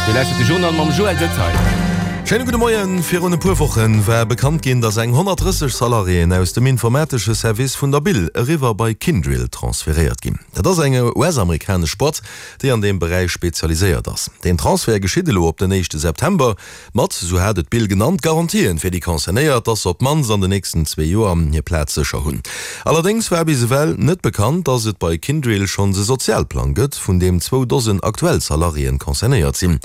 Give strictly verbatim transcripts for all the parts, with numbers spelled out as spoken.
Dir lauschtert de Journal mam Joël Detaille. Schéine gudde Moien. Virun e puer Woche war bekannt ginn, datt eng honnertdrësseg Salariéen aus dem informatesche Service vun der Bill eriwwer bei Kyndryl transferéiert ginn. Dat ass eng U S-amerikanesch Boîte, déi an deem Beräich spezialiséiert ass. Deen Transfert geschitt elo op den éischte September mat, sou hat et d'Bill genannt, Garantien fir déi Concernéiert, datt se op d'mannst an den nächsten zwee Joer hir Plaz sécher hunn. Allerdéngs war bis ewell net bekannt, datt et bei Kyndryl schonns e Sozialplang gëtt, vun deem zwou Dosen aktuell Salariéen concernéiert sinn.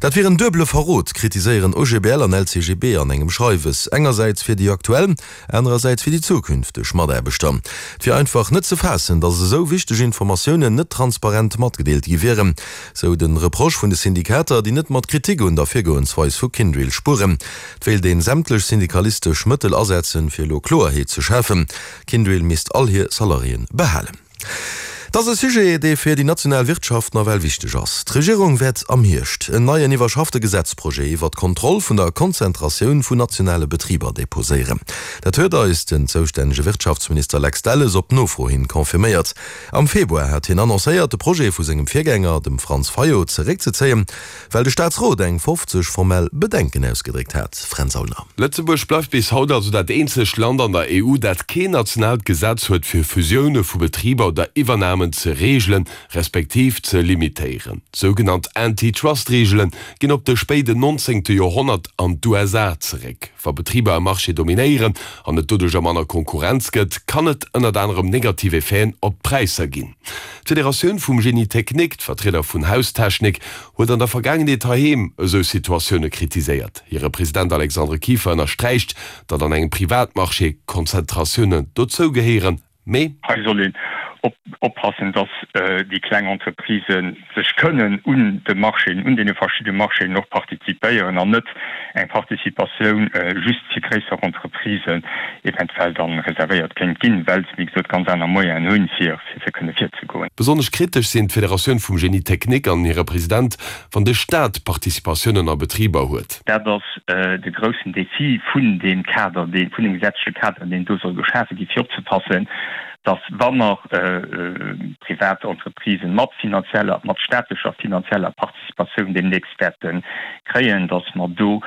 Dat wier en duebele Verrot, kritiséieren O G B L an L C G B an engem Schreiwes. Engersäits fir déi aktuell, anerersäits fir déi zukünfteg Mataarbechter. Et wier einfach net ze faassen, datt esou wichteg Informatiounen net transparent matgedeelt gi wieren, sou de Reproche vun de Syndikater, déi net mat Kritik un der Virgoensweis vu Kyndryl spueren. Et wéilt een sämtlech syndikalistesch Mëttel asetzen, fir elo Kloerheet ze schafen. Kyndryl misst all hir Salariéen behalen. Dat ass e Sujet, dee fir déi national Wirtschaft nawell wichteg ass. D'Regierung wäert am Hierscht en neien iwwerschaffte Gesetzprojet iwwer d'Kontroll vun der Konzentratioun vun nationale Betriber deposéieren. Dat huet eis den zoustännege Wirtschaftsminister Lex Delles op Nofro hin confirméiert. Am Februar hat hien annoncéiert, de Projet vu sengem Virgänger, dem Franz Fayot, zeréckzezéien, well de Staatsrot eng fofzeg formell Bedenken ausgedréckt hat. Fränz Aulner. Lëtzebuerg bleift bis haut also dat eenzegt Land an der E U, dat keen nationaalt Gesetz huet fir Fusioune vu Betriber oder Iwwernamen ze reegelen, respektiv ze limitéieren. Sougenannt Antitrust-Reegele ginn op de spéiden nonzéngte Joerhonnert an d'U S A zeréck. Wa Betriber e Marché dominéieren an et doduerch manner Konkurrenz gëtt, kann et ënnert anerem negativ Effeten op d'Präisser ginn. D'Federatioun vum Génie technique, d'Vertrieder vun Haustechnik, huet an der Vergaangenheet heiheem esou Situatioune kritiséiert. Hire President Alexandre Kieffer ënnersträicht, datt an engem Privatmarché Konzentratiounen dozou gehéieren, mee Hei soll een oppassen, datt déi kleng Entreprisë sech kënnen un de Marchéen, un deene verschiddene Marchéen och participéieren an net eng Participatioun just fir gréisser Entreprisen eventuell dann reservéiert kéint ginn, well se, wéi gesot, ganz aner Moyenen hunn, fir fir kënne virzegoen. Besonnesch kritesch sinn d'Federatioun vum Génie technique an hire President, wann de Staat Participatiounen a Betriber huet. Dat ass de groussen Defi vun deem Kader, dee vun dem gesetzleche Kader, deen do soll geschafe ginn, fir opzepassen, datt wa mer privat Entreprisen mat finanzieller, mat staatlecher finanzieller Participatioun deemnächst wäerte kréien, datt mer do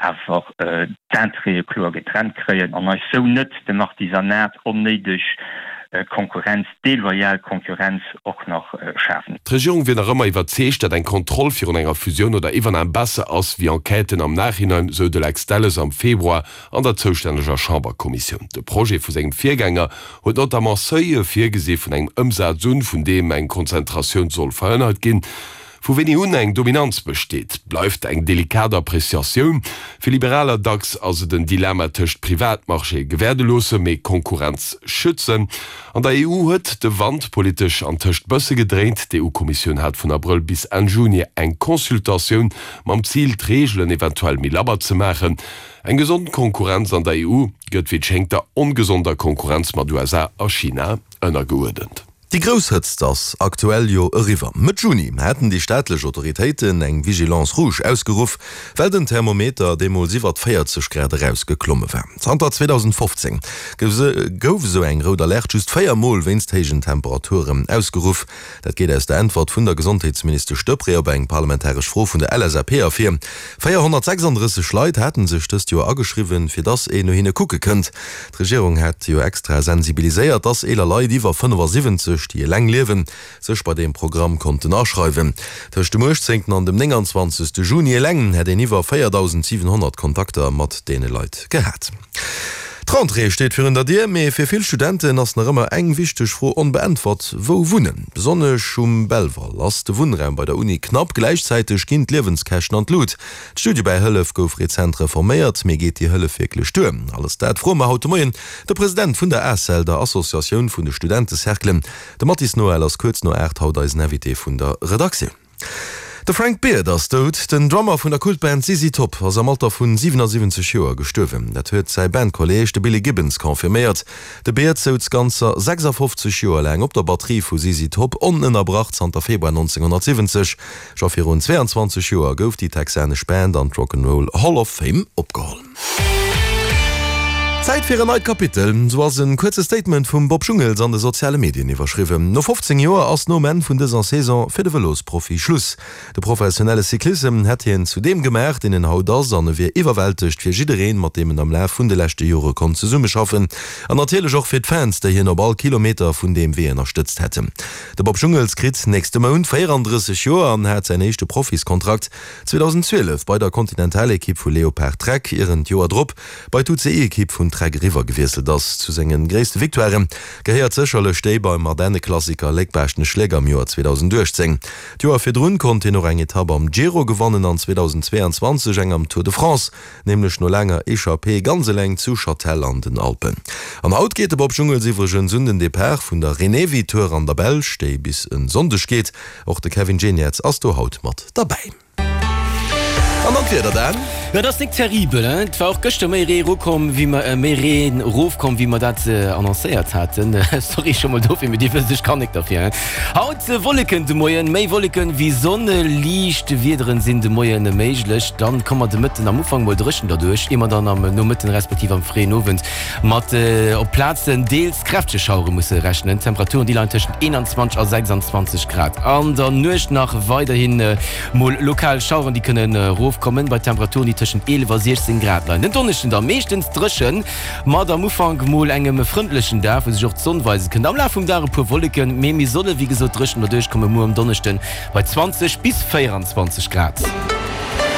awer d'Intérêtë kloer getrennt kréien an eis sou net dem Artisanat onnéideg Konkurrenz, deloyal Konkurrenz och nach schafen. D'Regierung wier nach ëmmer iwwerzeegt, datt eng Kontroll virun enger Fusioun oder Iwwernam besser ass wéi Enquêten am Nachhinein, sou de Lex Delles am Februar an der zoustänneger Chamberkommissioun. De Projet vu sengem Virgänger huet notamment Seuile virgesi vun engem Ëmsaz un, vun deem eng Konzentratioun soll verhënnert ginn. Vu wéini un eng Dominanz besteet, bleift eng delikat Appreciatioun. Fir Liberaler dacks ass et en Dilemma tëscht Privatmarché gewäerde loosse, mee Konkurrenz schützen. An der E U huet de Wand politesch antëscht bësse gedréint. D'E U-Kommissioun hat vun Abrëll bis Enn Juni eng Consultatioun mam Zil, d'Reegelen eventuell méi labber ze maachen. Eng gesond Konkurrenz an der E U gëtt wéi et schéngt der ongesonder Konkurrenz mat U S A a China ënnergeuerdent. Déi grouss Hëtzt ass aktuell jo eriwwer. Mëtt Juni haten déi staatlech Autoritéiten eng Vigilance rouge ausgeruff, well den Thermometer deemools iwwert véierzeg Grad erausgeklomme war. Zanter zweedausendfofzéng gouf esou eng rout Alerte just véier Mol wéinst héijen Temperaturen ausgeruff. Dat geet aus der Äntwert vun der Gesondheetsministesch Deprez op eng parlamentaresch Fro vun der L S A P ervir. véierhonnertsechsandrësseg Leit haten sech dëst Joer ageschriwwen, fir dass een no hinne kucke kënnt. D'Regierung hat jo extra sensibiliséiert, dass eeler Leit iwwer fënnefasiwwenzeg, déi eleng liewen, sech bei deem Programm konnten aschreiwen. Tëscht dem uechtzéngten an dem nénganzwanzegste Juni eleng hätt een iwwer véierdausendsiwenhonnert Kontakter mat deene Leit gehat. D'Rentrée steet virun der Dier, mee fir vill Studenten ass nach ëmmer eng wichteg Fro onbeäntwert, Wou wunnen? Besonnesch um Belval ass de Wunnraum bei der Uni knapp, gläichzäiteg ginn d'Liewenskäschten an d'Lut. D'Studiebäihëllef gouf rezent reforméiert, mee geet déi Hëllef wierklech duer? Alles dat froe mer haut de Moien de President vun der ACEL, der Associatioun vun de Studentecerclen. De Mathis Noël ass kuerz no aacht haut eisen Invité vun der Redaktioun. De Frank Beard ass dout. Den Drummer vun der Kultband Z Z Top ass am Alter vun siwenasiwwenzeg Joer gestuerwen. Dat huet säi Bandkolleeg, de Billy Gibbons, confirméiert. De Beard souz ganzer sechsafofzeg Joer laang op der Batterie vu Z Z Top, onënnerbrach zanter Februar nonzénghonnertsiwwenzeg. Scho virun zweeanzwanzeg Joer gouf déi texanesch Band an d'Rock 'n' Roll Hall of Fame opgeholl. Zäit fir en neit Kapitel, sou ass en kuerze Statement vum Bob Jungels an de soziale Medien iwwerschriwwen. No fofzéng Joer ass nom Enn vun dëser Saison fir de Vëlosprofi Schluss. De professionelle Cyclissem hätt hien zu deem gemaach, deen en haut ass an e wier iwwerwältegt fir jiddereen, mat deem en am Laf vun de leschte Jore konnt zesummeschaffen an natierlech och fir d'Fans, déi hien op all Kilometer vun deem Wee ënnerstëtzt hätten. De Bob Jungels kritt nächste Mount véierandrësseg Joer an hat säin éischte Profiskontrakt zweedausend zwielef bei der Kontinentalekipp vu Leopard Trek, ier en d'Joer drop bei d'UCI-Ekipp vun Trek eriwwer gewiesselt ass. Zu senge gréisste Victoiren gehéiert sécherlech déi beim Ardenneklassiker Léck-Baaschtnech-Léck am Joer zweedausend uechtzéng. D'Joer virdrun konnt hien och eng Etapp am Giro gewannen an zweedausend zweeanzwanzeg eng am Tour de France, nämlech no laanger Echappée ganz eleng zu Châtel an den Alpen. An haut geet de Bob Jungels iwwregens un den Depart vun der Renewi Tour an der Belsch, déi bis en Sonndeg geet. Och de Kevin Geniets ass do haut mat derbäi. An dann d'Wieder, Dan. Jo, dat ass nik terribel, hein. Et war och gëschter méi Ree erokomm, wéi mer, méi Reen erofkomm, wéi mer dat annoncéiert haten. Sorry scho mol dofir, mee Dir wësst, ech kann nik derfir, hein. Haut Wolleken de Moien, méi Wolleken wéi Sonn, liicht Wiederen sinn de Moien méiglech. Dann komme mer de Mëtten am Ufank mol dréchen derduerch, ier mer dann am Nomëtten respektiv am fréien Owend mat op Plazen deels kräftege Schauere musse rechnen. D'Temperaturen, déi leien tëschent eenanzwanzeg a sechsanzwanzeg Grad. An der Nuecht nach weiderhin mol lokal Schaueren, déi kënnen erofkommen, bei Temperaturen, déi tëschent eelef a siechzéng Grad leien. Den Donneschden da meeschtens dréchen, mat am Ufank mol engem frëndlechen Dag, wou sech och d'Sonn weise kënnt. Am Laf vum Dag e puer Wolleken, mee mir solle wéi gesot dréchen derduerch kommen, muer um Donneschden bei zwanzeg bis véieranzwanzeg Grad.